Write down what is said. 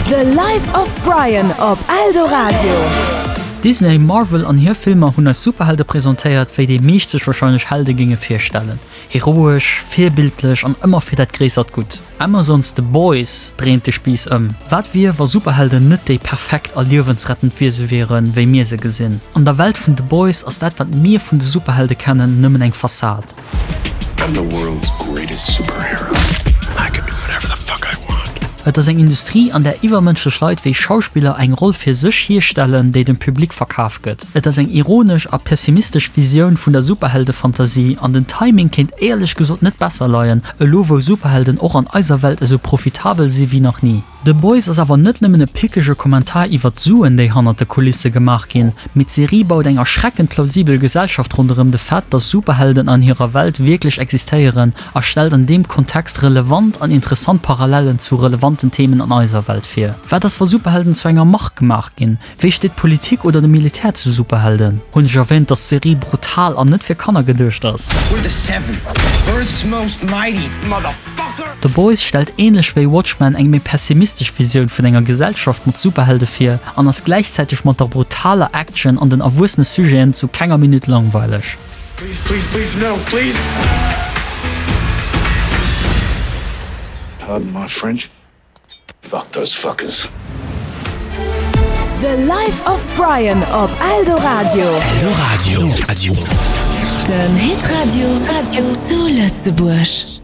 The Life of Brian op Eldoradio. Disney, Marvel an hir Filmer hunn eis Superhelde presentéiert, wéi déi meescht sech warscheinlech Helde géinge virstellen, heroesch, virbildlech an ëmmer fir dat gréissert Gutt. Amazons The Boys dréint de Spiiss ëm. Wat wier, wa Superhelden net déi perfekt a liewensrettend Wiese wieren, wéi mir se gesinn? An der Welt vun The Boys ass dat, wat mir vun de Superhelde kennen, nëmmen eng Fassad. I'm the world's greatest superhero and I can do whatever the fuck I want. Et ass eng Industrie, an där iwwermënschlech Leit wéi Schauspiller eng Roll fir sech hierstellen, déi dem Public verkaf gëtt. Et ass eng ironesch a pessimistesch Visioun vun der Superheldefantasie an den Timing kéint éierlech gesot net besser leien, elo wou Superhelden och an eiser Welt esou profitabel si wéi nach ni. The Boys ass awer net nëmmen e pickege Kommentar iwwer d'Suen, déi hannert de Kulisse gemaach ginn, mee d'Serie baut eng erschreckend plausibel Gesellschaft ronderëm de Fait, dass Superhelden an hirer Welt wierklech existéieren a stellt an deem Kontext relevant an interessant Parallellen zu relevanten Themen an eiser Welt vir. Wat ass wa Superhelden zu enger Mark gemaach ginn? Wéi steet d'Politik oder de Militär zu Superhelden? Hunn ech erwähnt, dass d'Serie brutal an net fir Kanner geduecht ass? We're the Seven, Earth's most mighty, motherfucker! The Boys stellt ähnlech wéi Watchmen eng méi pessimistesch Visioun vun enger Gesellschaft mat Superhelde vir an ass gläichzäiteg mat der brutaler Action an den erwuessene Sujeten zu kenger Minutt langweileg. Please, please, please, no, please! Pardon my French. Fuck those fuckers. The Life of Brian op Eldoradio. Eldoradio. Den Hitradio zu Lëtzebuerg.